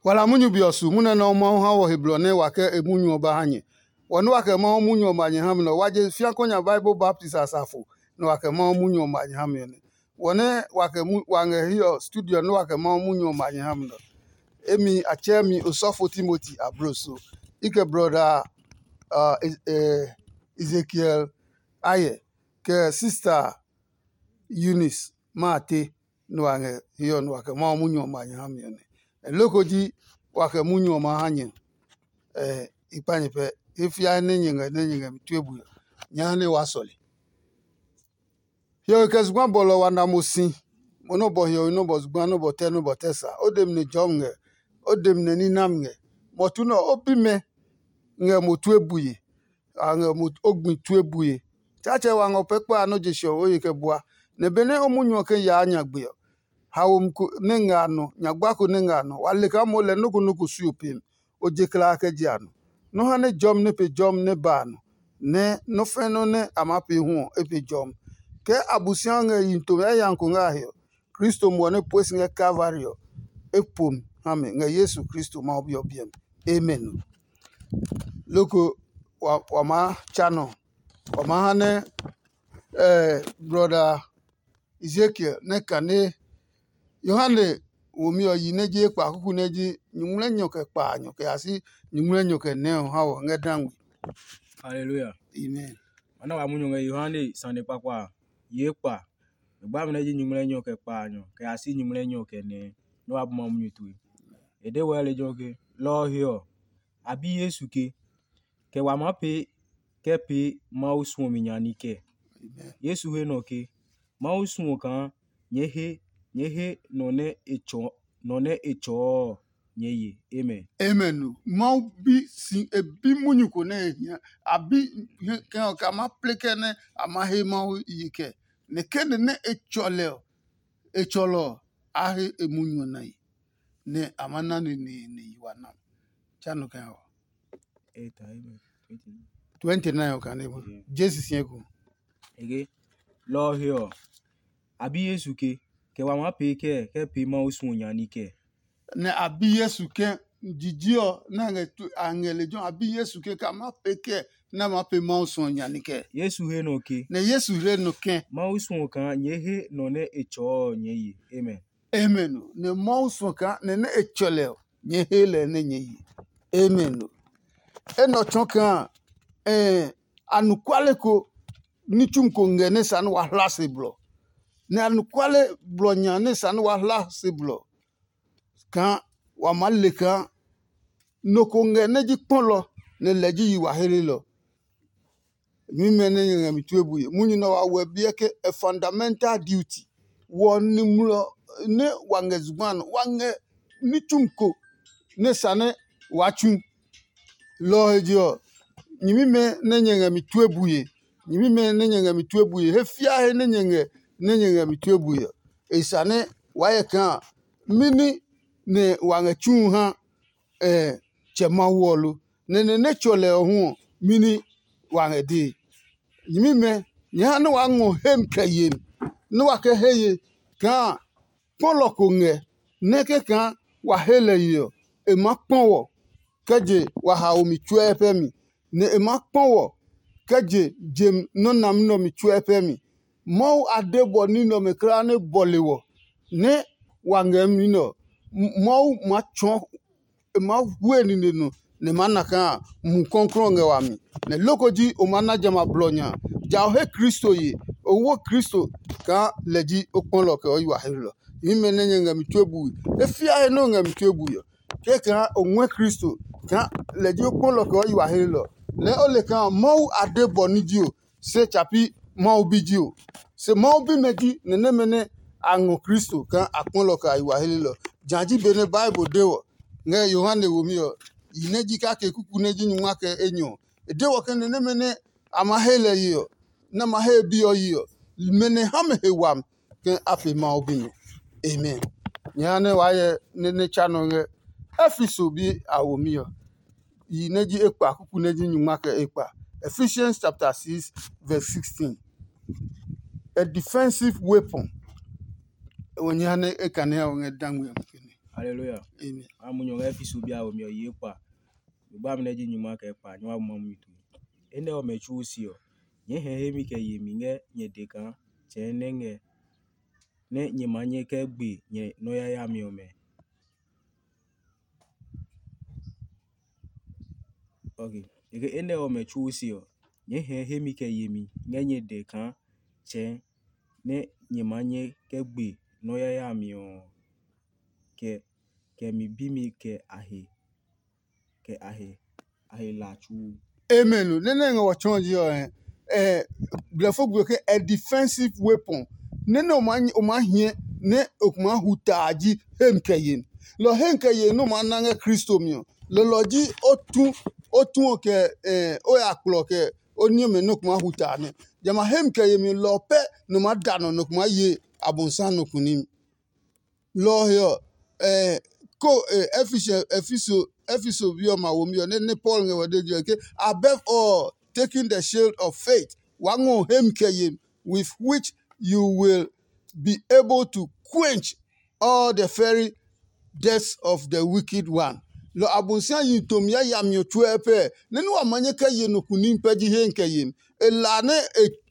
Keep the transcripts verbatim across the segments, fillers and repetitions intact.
Wala munyu be ɔ su munyu nɛ Mawu ha wɔ he blɔ nɛ wa kɛ e munyu ɔ ba ha nyɛ. Wɔ nɛ wa kɛ Mawu munyu ɔ ma nyɛ ha mi nɛ ɔ, wa je fiako nya Bible baptist asafo nɛ wa kɛ Mawu munyu ɔ ma nyɛ ha mi ɔ nɛ. Wɔ nɛ wa kɛ wa ngɛ hiɛ ɔ studio nɛ wa kɛ Mawu munyu ɔ ma nyɛ ha mi nɛ ɔ, emi a tsɛɛ mi osɔfo Timoti ablo so. I kɛ brɔda Ezekiel Ayɛ, kɛ sista Eunice ma a te nɛ wa ngɛ hiɛ ɔ nɛ wa kɛ Mawu munyu ɔ ma nyɛ ha mi ɔ nɛ. Nɛ loko ji wa kɛ munyu ɔ ma ha nyɛ ɔ, i kpa nyɛ pɛ. He fiae nɛ nyɛ ngɛ nɛ nyɛ ngɛ mi tue bue ɔ, nyɛ ha nɛ wa sɔle. Hiɔwe kɛ zugba bɔlɔ wa na mo si, mo nɔ́ bɔ hiɔwe nɔ́ bɔ zugba nɔ́ bɔ tɛ nɔ́ bɔ tɛ sa. O demi nɛ jɔmi ngɛ, o demi nɛ ní nami ngɛ. Mɔtu nɛ ɔ, o bimɛ ngɛ mo tue bue. A ngɛ mo o gbi tue bue. Tsaatsɛ wa ngɔ pɛ kpa a nɔ́ je siɔ o ye kɛ bua, nɛ benɛ o munyu ɔ kɛ yaa nyagbe ɔ, haomi ko nɛ ngɛ a nɔ, nyagba ko nɛ ngɛ a nɔ, wa le kaa moo lɛ nɔ́ ko nɔ́ ko sui o pemi. O je kla a kɛ je a nɔ. Nɔ́ ha nɛ jɔmi nɛ pe jɔmi nɛ ba a nɔ, nɛ nɔ́ fɛ̃ nɔ́ nɛ a maa pee hu ɔ, e pe jɔmi. Ke Abosiami ngɛ yihi tome yayami ko ngɛ a he ɔ, Kristo muɔ nɛ pue si ngɛ Kalvari ɔ, e po mi ha mɛ ngɛ Yesu Kristo Mawu Bi ɔ biɛ mi. Amen. Loko wa, wa maa tsa nɔ, wa maa ha nɛ eh, brɔda Ezekiel nɛ kane Yohane womi ɔ yi nɛ ji ekpa kuku nɛ ji nyuŋmlɛnyɔ kɛ kpaanyɔ kɛ ya si nyuŋmlɛnyɔ kɛ nɛ ɔ ha wɔ ngɛ dangmi. Haleluya. Amen. Mana wa munyu ngɛ Yohane sane kpakpa a, yi ekpa. Nɛ gba mi nɛ ji nyuŋmlɛnyɔ kɛ kpaanyɔ kɛ ya si nyuŋmlɛnyɔ kɛ nɛ nɛ wa bu ma munyu tue. E de wɛ lejɛ ke, lɔ ɔ he ɔ, a bi Yesu ke, kɛ wa maa pee kɛ pee Mawu suɔmi nya ní kɛɛ? Yesu he nɔ ke, Mawu suɔ kaa nyɛɛ he nyɛɛ he nɔ nɛ e tsɔɔ nɔ nɛ e tsɔɔ ɔ nyɛɛ ye. Amen. Amen o. Mawu bi si e bi munyu ko nɛ e hia. A bi kɛ ɔ ka ma ple kɛ nɛ a ma he Mawu yi kɛ. Nɛ kɛ nɛ nɛ e tsɔ lɛ ɔ, e tsɔlɔ ɔ, a he e munyu ɔ na yi. Nɛ a ma na neneene yi wa na. Tsa nɔ kɛ ɔ. Eight, I mean, twenty-nine. Twenty-nine ɔ kane bɔ. Yeah. Jesu siɛ ko. Ege, lɔ ɔ he ɔ, a bi Yesu ke, kɛ wa maa pee kɛɛ kɛ pee Mawu suɔ nya ní kɛɛ? Nɛ a bi Yesu ke, jiji ɔ nɛ a ngɛ tu- a ngɛ lejɛ ɔ, a bi Yesu ke ka ma pee kɛɛ nɛ a maa pee Mawu suɔ nya ní kɛɛ? Yesu he nɔ ke, Nɛ Yesu he nɔ ke, Mawu suɔ kaa nyɛɛ he nɔ nɛ e tsɔɔ ɔ nyɛɛ ye. Amen. Amen o. Nɛ Mawu suɔ kaa nɛ nɛ e tsɔ lɛ ɔ, nyɛɛ he lɛ nɛ nyɛɛ yi. Amen o. Enɛ ɔ tsɔɔ kaa ɛɛ anɔkuale ko ní tsumi ko ngɛ nɛ sa nɛ wa hla se blɔ. Nɛ anɔkuale blɔ nya nɛ sa nɛ wa hla se blɔ kaa wa maa le kaa nɔ ko ngɛ nɛ ji kpɔlɔ nɛ lɛ ji yi wa helelɔ. Nyuimɛ nɛ nyɛ ngɛ mi tue bue. Munyu nɛ wa wɛ biɛ ke a fundamental duty. Wɔ nimlɔ nɛ wa ngɛ zugba nɔ, wa ngɛ ní tsumi ko nɛ sa nɛ waa tsu. Lɔ ɔ he je ɔ, nyɛmimɛ nɛ nyɛ ngɛ mi tue bue, nyɛmimɛ nɛ nyɛ ngɛ mi tue bue, he fiaa he nɛ nyɛ ngɛ nɛ nyɛ ngɛ mi tue bue ɔ, e sa nɛ waa hyɛ kaa mɛni nɛ wa ngɛ tsuu ha Tsɛ Mawu ɔ lo? Nɛ nɛ nɛ tsɔ lɛ ɔ hu ɔ, mɛni wa ngɛ dee? Nyɛmimɛ, nyɛ ha nɛ waa ngɔ hem kɛ yemi, nɛ wa kɛ he ye kaa kpɔlɔ ko ngɛ nɛ kɛkaa wa he lɛ ye ɔ, e maa kpɔ wɔ kɛ je wa haomi tsuɛ pɛ mi, nɛ e maa kpɔ wɔ kɛ je jem nɔ́ nami nɛ ɔ mi tsuɛ pɛ mi. Mawu a de bɔ ní nɛ ɔmɛ kulaa nɛ bɔle wɔ nɛ wa ngɛ mi nɛ ɔ, Mawu maa tsɔɔ e maa hue nine nɔ nɛ e maa na kaa Mumi Klɔuklɔu ɔ ngɛ wami, nɛ loko ji o maa na jamɛ a blɔ nya. Ja o he Kristo ye, o wo Kristo kaa lɛ ji o kpɔlɔ kɛ o yi wa helelɔ. Nyɛmimɛ nɛ nyɛ ngɛ mi tue bui, e fia he nɛ o ngɛ mi tue bui ɔ, kɛkaa o ngɔɛ Kristo kaa lɛ ji o kpɔlɔ kɛ o yi wa helelɔ, lɛɛ o le kaa Mawu a de bɔ ní ji o, se tsa pi Mawu bi ji o. Se Mawu bimɛ ji nɛ nɛmɛ nɛ a ngɔ Kristo kaa a kpɔlɔ kɛ a yi wa helelɔ. Ja ji benɛ Bible de wɔ ngɛ Yohane womi ɔ, yi nɛ ji kake kuku nɛ ji nyungma kɛ enyɔ ɔ, e de wɔ ke nɛ nɛmɛ nɛ a ma he lɛ ye ɔ, nɛ a ma he e bi ɔ yi ɔ, mɛ nɛ ha mɛ he wami ke a pe Mawu bimɛ. Amen. Nyɛ ha nɛ waa hyɛ nɛ nɛ tsa nɔ ngɛ Efeso bi a womi ɔ, yi nɛ ji ekpa kuku nɛ ji nyungma kɛ ekpa. Ephesians chapter six verse sixteen. A defensive weapon. Wo nyɛ ha nɛ e kane ɔ ngɛ dangme ɔ. Haleluya. Amen. A mu nyɔ ngɛ Efeso bi a womi ɔ yi ekpa. Zugba mi nɛ ji nyuma kɛ kpa nyɛ wa bu ma munyu tue. Enɛ ɔmɛ tsuo se ɔ, nyɛɛ hɛ hemi kɛ yemi ngɛ nyɛ de kaa tsɛɛ nɛ ngɛ nɛ nyɛ ma nyɛ kɛ gbe nyɛ nɔ́ yayami ɔmɛ. Ok. Eke enɛ ɔmɛ tsuo se ɔ, nyɛɛ hɛ hemi kɛ yemi ngɛ nyɛ dɛ kaa tsɛɛ nɛ nyɛ ma nyɛ kɛ gbe nɔ́ yayami ɔ, kɛ kɛ mi bimi kɛ a he kɛ a he a he la tsuo. Amen. Nene ngɛ wɔ tsɔɔ ji ɔ, eh, blɛfo gbe ke a defensive weapon. Nene o ma o ma hiɛ ne o kuma hu taa ji hem kɛ yen. Lɔ hem kɛ yen no ma na ngɛ Kristo mi ɔ. Lɔlɔ ji o tu o tu ɔ kɛ eh, o ya kplɔ kɛ o niɔmɛ no kuma hu taa nɛ. Jama hem kɛ yen mi lɔ pɛ no ma da nɔ no kuma ye abonsa no kunim. Lɔ ɔ he ɔ, eh, ko eh, Efeso Efeso Efeso bi ɔ ma womi ɔ nɛ nɛ Paul ngɛ wɔ de je ke, above all, taking the shield of faith, wa ngɔ hem kɛ yen, with which you will be able to quench all the fiery deaths of the wicked one. Lɔ Abosiami yi tomi yayami ɔ tsuɛ pɛ nɛ nɛ wa ma nyɛ kɛ ye nɔ kunim pɛ ji he kɛ yen. E la nɛ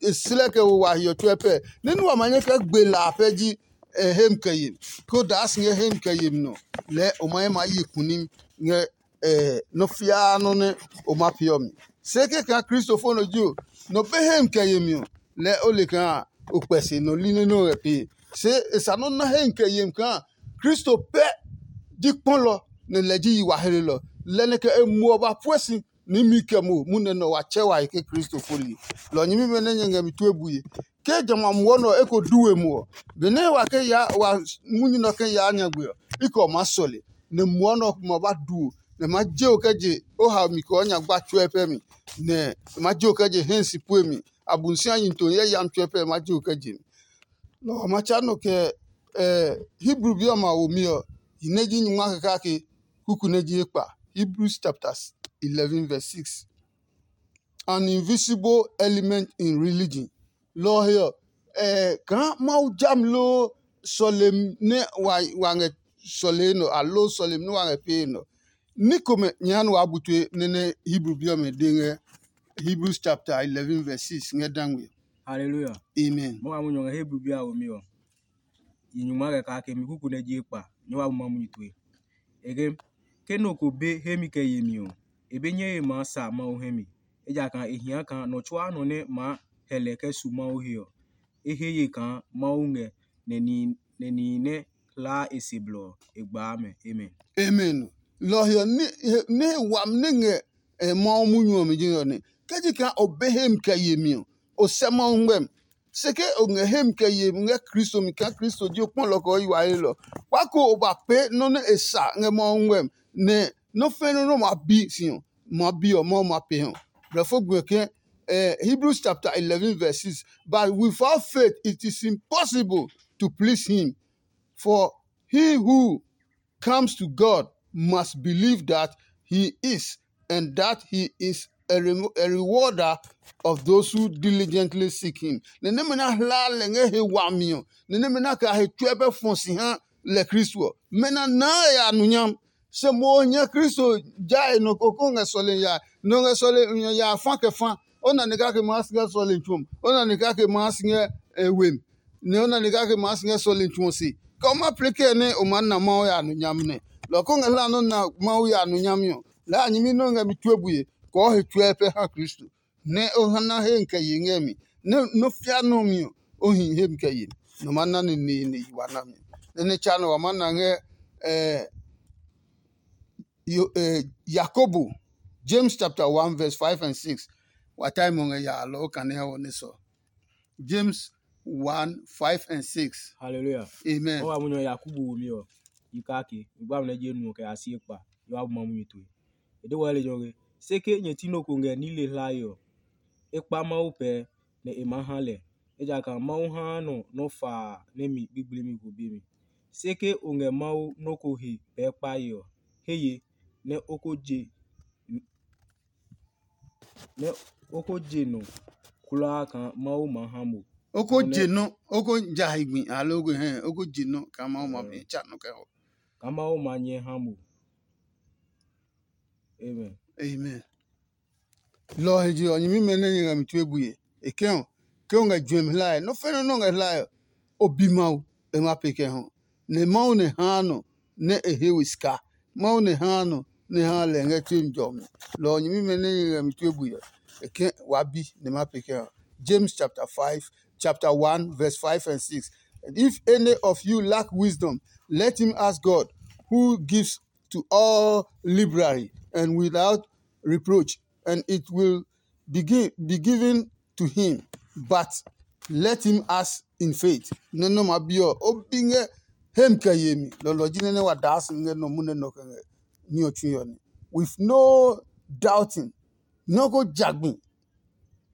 e slɛ kɛ wo wa hiɔ tsuɛ pɛ nɛ nɛ wa ma nyɛ kɛ gbe la pɛ ji e hem kɛ yen. Ko daa si ngɛ hem kɛ yen nɔ lɛɛ o ma ye ma ye kunim ngɛ nɔ fiaa nɔ nɛ o ma peeɔ mi. Se kɛkaa Kristofo nɔ ji o, nɔ be hem kɛ yemi ɔ, lɛɛ o le kaa o kpɛ se nɔ li nɛ nɛ o ngɛ pee. Se e sa nɔ́ na hem kɛ yemi kaa Kristo pɛ ji kpɔlɔ nɛ lɛ ji yi wa hlelɔ. Lɛ nɛ kɛ e muɔ ba pue si ní mi kɛ mo munɛ nɔ wa tsɛ wa he ke Kristo fo li. Lɔ nyɛmimɛ nɛ nyɛ ngɛ mi tue bue. Ke jamɛ a muɔ nɔ eko du we mo ɔ, benɛ wa ke ya wa munyu nɔ ke yaa nyagbe ɔ, i kɛ ɔ maa sɔle, nɛ muɔ nɔ ma ba du o, nɛ ma je o kɛ je o hao mi kɛ o nyagba tsuɛ pɛ mi, nɛ ma je o kɛ je hɛ si pue mi. Abunsia yi to yɛ yam tsuɛ pɛ ma je o kɛ je mi. Nɔ ɔ ma tsa nɔ kɛ Hebru bi ɔmɛ a womi ɔ, yi nɛ ji nyungma kɛ kake kuku nɛ ji ekpa. Hebrews chapter eleven verse six. An invisible element in religion. Lɔ ɔ he ɔ, kaa Mawu jami loo sɔlemi nɛ wa ngɛ sɔlee nɔ aloo sɔlemi nɛ wa ngɛ pee nɔ. Ní komɛ nyɛ ha nɛ waa bu tue nɛ nɛ Hebru bi ɔmɛ de ngɛ Hebrews chapter eleven verse six ngɛ dangme. Hallelujah. Amen. Mo wa mu nyɔ ngɛ Hebru bi a womi ɔ. Yi nyungma kɛ kake mi kuku nɛ ji ekpa nyɛ wa bu ma munyu tue. Eke ke nɔ ko be hemi kɛ yemi ɔ, e be nyɛ he maa sa Mawu hɛ mi, ejakaa e hia kaa nɔ tsuaa nɔ nɛ maa hɛ lɛ kɛ su Mawu he ɔ, e he ye kaa Mawu ngɛ nɛ nihi nɛ hlaa e se blɔ ɔ, e gbaa mɛ. Amen. Amen. Lɔ ɔ he ɔ, ní he wami nɛ ngɛ Mawu munyu ɔ mi ji nɛ ɔ nɛ. Ke ji kaa o be hemi kɛ yemi ɔ, o sɛ Mawu ngmɛmi. Se ke o ngɛ hemi kɛ yemi ngɛ Kristo mi kaa Kristo ji o kpɔlɔ kɛ o yi wa helɔ, kpa ko o ba pee nɔ́ nɛ e sa ngɛ Mawu ngmɛmi, nɛ nɔ́ fɛ̃ nɔ́ nɛ o ma bi si ɔ, ma bi ɔ, Mawu ma pee hɔ. Blɛfo gbe ke eh, Hebrews chapter eleven verse six. But without faith it is impossible to please him. For he who comes to God must believe that he is, and that he is a, re- a rewarder of those who diligently seek him. Nɛ nɛmɛ na hlaa lɛ ngɛ he wami ɔ, nɛ nɛmɛ na kɛ a he tsuɛ pɛ fɔ si ha lɛ Kristo ɔ, mɛ na naa e ya nonyam. Se mo ɔ nyɛ Kristo ja e nɔ ko ko ngɛ sɔlemi yae. Nɔ ngɛ sɔlemi yae fa kɛ fa. O na ni kake maa si ngɛ sɔlemi tsuo mi. O na ni kake maa si ngɛ e we mi. Nɛ o na ni kake maa si ngɛ sɔlemi tsuo se. Kɛ o ma plɛ kɛɛ nɛ o maa na Mawu ya nonyami nɛ. Lɔ ko ngɛ hlaa nɔ́ na Mawu ya nonyami ɔ, lɛɛ a nyɛmi nɛ o ngɛ mi tue bue, kɔɔ he tsuɛ pɛ ha Kristo. Nɛ o ha na he kɛ ye ngɛ mi. Nɛ nɔ́ fia nɔ mi ɔ, o hi he mi kɛ ye mi. Nɔ ma na neneene yi wa na mi. Nɛ nɛ tsa nɔ wa ma na ngɛ eh, Yo, eh, Yakobo, James chapter one verse five and six. Wa tai mo ngɛ ya alɔ o kane ha wɔ ne sɔ. James one, five and six. Hallelujah. Amen. Wa mu nyɔ Yakobo wo mi ɔ. Yi ka ke. Igba mi ne je nu ke a si ekpa. Yo abu ma mu mi to. E de wa le jɔ ke. Se ke nyɛ ti no ko ngɛ ni le hla yo. E kpa Mawu pɛ nɛ e maa ha lɛ. Ejakaa Mawu haa nɔ nɔ́ faa nɛ mi gbigblimi ko be mi. Se ke o ngɛ Mawu nɔ́ ko he pɛɛ kpae ɔ, he ye nɛ o ko je nɛ o ko je nɔ kulaa kaa Mawu maa ha mo. O ko je nɔ, o ko ja he gbi aloo ko hɛ, o ko je nɔ kaa Mawu ma bi tsa nɔ kɛ hɔ. kaa Mawu ma nyɛ ha mo. Amen. Amen. Lɔ ɔ he je ɔ, nyɛmimɛ nɛ nyɛ ngɛ mi tue bue. E kɛ ɔ, ke o ngɛ juɛmi hlae, nɔ́ fɛnɛ nɔ́ ngɛ hlae ɔ, o bi Mawu, e ma pee kɛ hɔ. Nɛ Mawu nɛ haa nɔ nɛ e he we sika. Mawu nɛ haa nɔ nɛ haa lɛ ngɛ tue mi jɔmi. Lɔ ɔ, nyɛmimɛ nɛ nyɛ ngɛ mi tue bue ɔ, e kɛ wa bi nɛ ma pee kɛ hɔ. James chapter five, chapter one, verse five and six. And if any of you lack wisdom, let him ask God, who gives to all liberally and without reproach, and it will be, gi- be given to him. But let him ask in faith. Nɛ nɔ ma bi ɔ, o bi ngɛ hem kɛ yemi. Lɔlɔ ji nɛ nɛ wa daa si ngɛ nɔ mu nɛ nɔ kɛ ngɛ ní ɔ tsui ɔ ní. With no doubting, nɔ ko jagbi.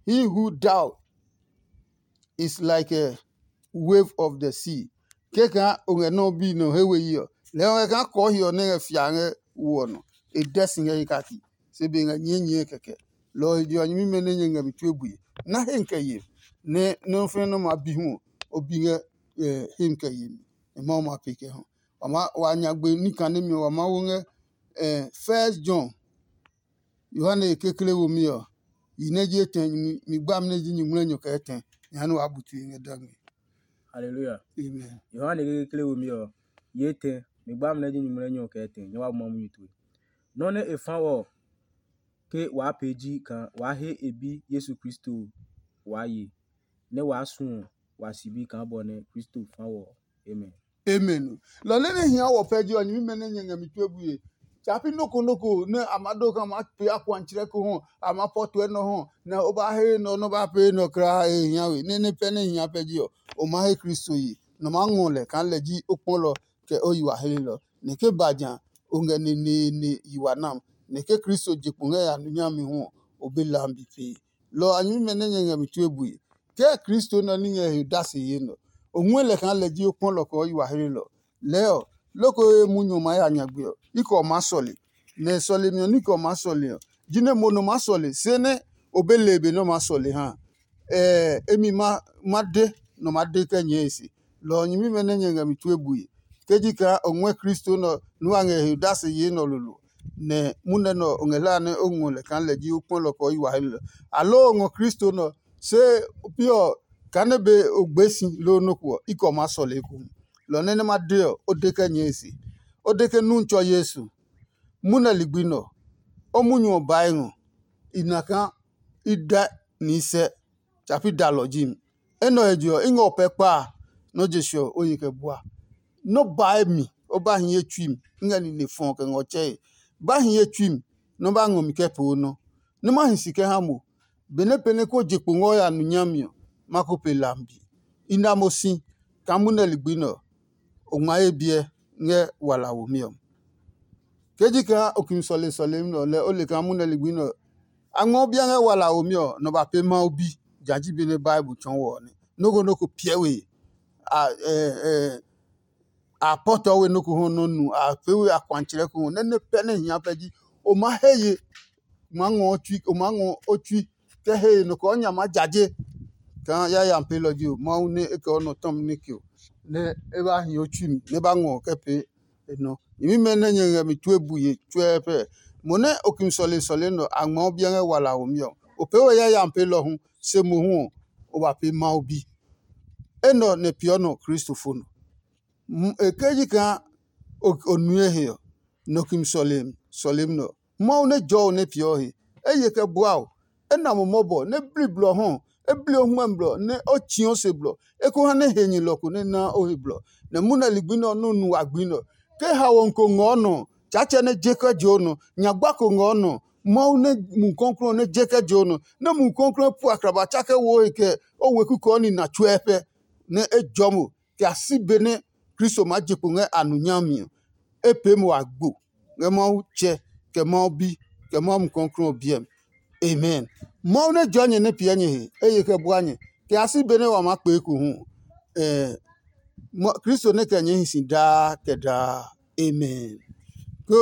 He who doubt is like a wave of the sea. Kɛkaa o ngɛ nɔ́ bi nɔ he we yi ɔ, lɛɛ o ngɛ kaa kɔɔ he ɔ nɛ ngɛ fia ngɛ wo ɔ nɔ. E dɛ si ngɛ he kaki, se be ngɛ nyɛɛ nyɛɛ kɛkɛ. Lɔ ɔ he je ɔ, nyɛmimɛ nɛ nyɛ ngɛ mi tue bue. Na he kɛ ye, nɛ nɔ́ fɛnɛ nɔ́ ma bi hu ɔ, o bi ngɛ he kɛ ye mi. E Mawu ma pee kɛ hɔ. Wa ma wa nyagbe ní kanemi ɔ, wa ma wo ngɛ First John. Yohane kekle womi ɔ, yi nɛ ji etɛ, mi gbami nɛ ji nyuŋmlɛnyɔ kɛ etɛ, jehanɛ waa bu tue ngɛ dagbe. Haleluya. Amen. Yohane kekle womi ɔ, yi etɛ, mi gbami nɛ ji nyuŋmlɛnyɔ kɛ etɛ, nyɛ wa bu Mawu munyu tue. Nɔ́ nɛ e fa wɔ ke waa pee ji kaa waa he e Bi Yesu Kristo waa ye, nɛ waa suɔ wa sibi kaa bɔ nɛ Kristo fa wɔ ɔ. Amen. Amen. Lɔ nɛ nɛ hia wɔ pɛ ji ɔ, nyɛmimɛ nɛ nyɛ ngɛ mi tue bue. Tsa pi nɔ́ ko nɔ́ ko nɛ a ma do kaa a maa pee akuatsrɛ ko hɔ, a maa pɔ tue nɔ hɔ, nɛ o ba he nɔ nɛ o ba pee nɔ kulaa he hia we. Nɛ nɛ pɛ nɛ hia pɛ ji ɔ, o ma he Kristo ye, nɔ maa ngɔ lɛ kaa lɛ ji o kpɔlɔ kɛ o yi wa helelɔ. Nɛ ke ba ja, o ngɛ neneene yi wa nam. Nɛ ke Kristo je kpo ngɛ ya nuyami hu ɔ, o be lambi pee. Lɔ ɔ a nyɛmimɛ nɛ nyɛ ngɛ mi tue bue. Kɛɛ Kristo nɛ ɔ ní ngɛ he dase yee nɛ ɔ, o ngɔɛ lɛ kaa lɛ ji o kpɔlɔ kɛ o yi wa helelɔ. Lɛɛ ɔ, loko he munyu ɔ maa ya nyagbe ɔ, i kɛ ɔ maa sɔle. Nɛ sɔlemi ɔ ní kɛ ɔ maa sɔle ɔ, jinɛ mo nɔ maa sɔle, se nɛ o be le be nɛ o maa sɔle ha. Ɛɛ, emi ma ma de nɔ maa de kɛ nyɛɛ e se. Lɔ ɔ nyɛmimɛ nɛ nyɛ ngɛ mi tue bue. Ke ji kaa o ngɔɛ Kristo nɛ ɔ nú a ngɛ he dase yee nɛ ɔ lolo, nɛ munɛ nɛ ɔ o ngɛ hlae nɛ o ngɔ lɛ kaa lɛ ji o kpɔlɔ kɛ o yi wa helelɔ. Aloo o ngɔ Kristo nɛ ɔ, se pi ɔ kaa nɛ be o gbee si loo nɔ́ ko ɔ, i kɛ o maa sɔle ekohu. Lɔ nɛ nɛ ma de ɔ, o de kɛ nyɛɛ e se. O de ke nu n tsɔ Yesu. Munɛ ligbi nɛ ɔ, o munyu ɔ bae ngɔ, i na kaa i dɛ ni i sɛ, tsa pi dalɔ ji mi. Enɛ ɔ he je ɔ, i ngɛ o pɛ kpa a, nɔ́ je se ɔ, o ye kɛ bua. Nɔ́ bae mi, o ba hi ye tsui mi, i ngɛ nine fɔɔ kɛ ngɔ tsɛe. Ba hi ye tsui mi, nɔ́ ba ngɔ mi kɛ pee o nɔ. Nɔ́ ma hi si kɛ ha mo, benɛ pɛ nɛ ko je kpo ngɔ ya nu nyami ɔ, ma ko pe lambi. I na mo si kaa munɛ ligbi nɛ ɔ, o ngma ye biɛ ngɛ wala womi ɔ. Ke ji kaa o kimi sɔle sɔlemi nɛ ɔ, lɛ o le kaa munɛ ligbi nɛ ɔ, a ngmɛɔ biɛ ngɛ wala womi ɔ, nɔ ba pee Mawu bi. Ja ji be nɛ Bible tsɔɔ wɔ ɔ nɛ. Nɔ́ ko nɔ́ ko piɛ we, a ɛ ɛ a pɔtɔ we nɔ́ ko hɔ nɔ́ nu, a pee we akuatsɛrɛ ko hɔ, nɛ nɛ pɛ nɛ hia pɛ ji o ma he ye, o ma ngɔ o tsui, o ma ngɔ o tsui kɛ he ye nɔ kɛ o nya ma jaje. Kaa yayami peelɔ ji o, Mawu nɛ e kɛ o nɔ tɔmi nɛ ke o, nɛ e ba hi o tsui mi, nɛ e ba ngɔ kɛ pee e nɔ. Nyɛmimɛ nɛ nyɛ ngɛ mi tue bue tsuɛɛ pɛ. Mo nɛ o kimi sɔle sɔle nɔ a ngmɛɔ biɛ ngɛ wala womi ɔ, o pee we yayami peelɔ hu, se mohu ɔ, o ba pee Mawu bi. Enɛ ɔ nɛ peeɔ nɔ Kristo fo nɔ. E ke ji kaa o nue he ɔ, nɔ kimi sɔlemi sɔlemi nɛ ɔ, Mawu nɛ jɔɔ o nɛ peeɔ he. E ye kɛ bua o, e na mo mɔbɔ nɛ bli blɔ hɔ, e bli o hmɛ blɔ nɛ o tsii o se blɔ, e ko ha nɛ henyɛlɔ ko nɛ naa o he blɔ. Nɛ munɛ ligbi nɛ ɔ nɛ o nu wa gbi nɛ ɔ, ke haomi ko ngɔɔ nɔ ɔ, Tsaatsɛ nɛ je kɛ je o nɔ, nyagba ko ngɔɔ nɔ ɔ, Mawu nɛ Mumi Klɔuklɔu ɔ nɛ je kɛ je o nɔ, nɛ Mumi Klɔuklɔu ɔ pu akraba tsa kɛ wo o he kɛ o weku kɛ o nina tsuɛ pɛ, nɛ e jɔ mo kɛ a si be nɛ Kristo maa je kpo ngɛ a nu nyami ɔ, e pee mo agbo ngɛ Mawu Tsɛ, kɛ Mawu Bi, kɛ Mawu Mumi Klɔuklɔu ɔ biɛ mi. Amen. Mawu nɛ jɔɔ nyɛ nɛ piɛ nyɛ he, e ye kɛ bua nyɛ, kɛ a si be nɛ wa maa kpee ko hu. Ɛɛ, Kristo nɛ kɛ nyɛɛ hi si daa kɛ daa. Amen. Ke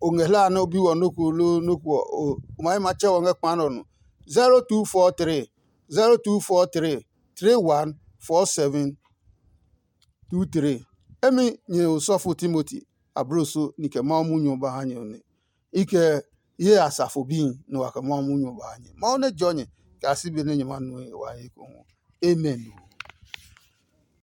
o ngɛ hlaa nɛ o bi wɔ nɔ́ ko loo nɔ́ ko ɔ, o ma yi ma tsɛ wɔ ngɛ kpa nɛ ɔ nɔ. Zero two four three, zero two four three, three one four seven two three. Emi nyɛ osɔfo Timoti, abloso ni kɛ Mawu munyu ɔ ba ha nyɛ ɔ nɛ. I kɛ ye asafo bihi nɛ wa kɛ Mawu munyu ɔ ba ha nyɛ. Mawu nɛ jɔ nyɛ kɛ a si be nɛ nyɛ ma nue wa he ekohu. Amen.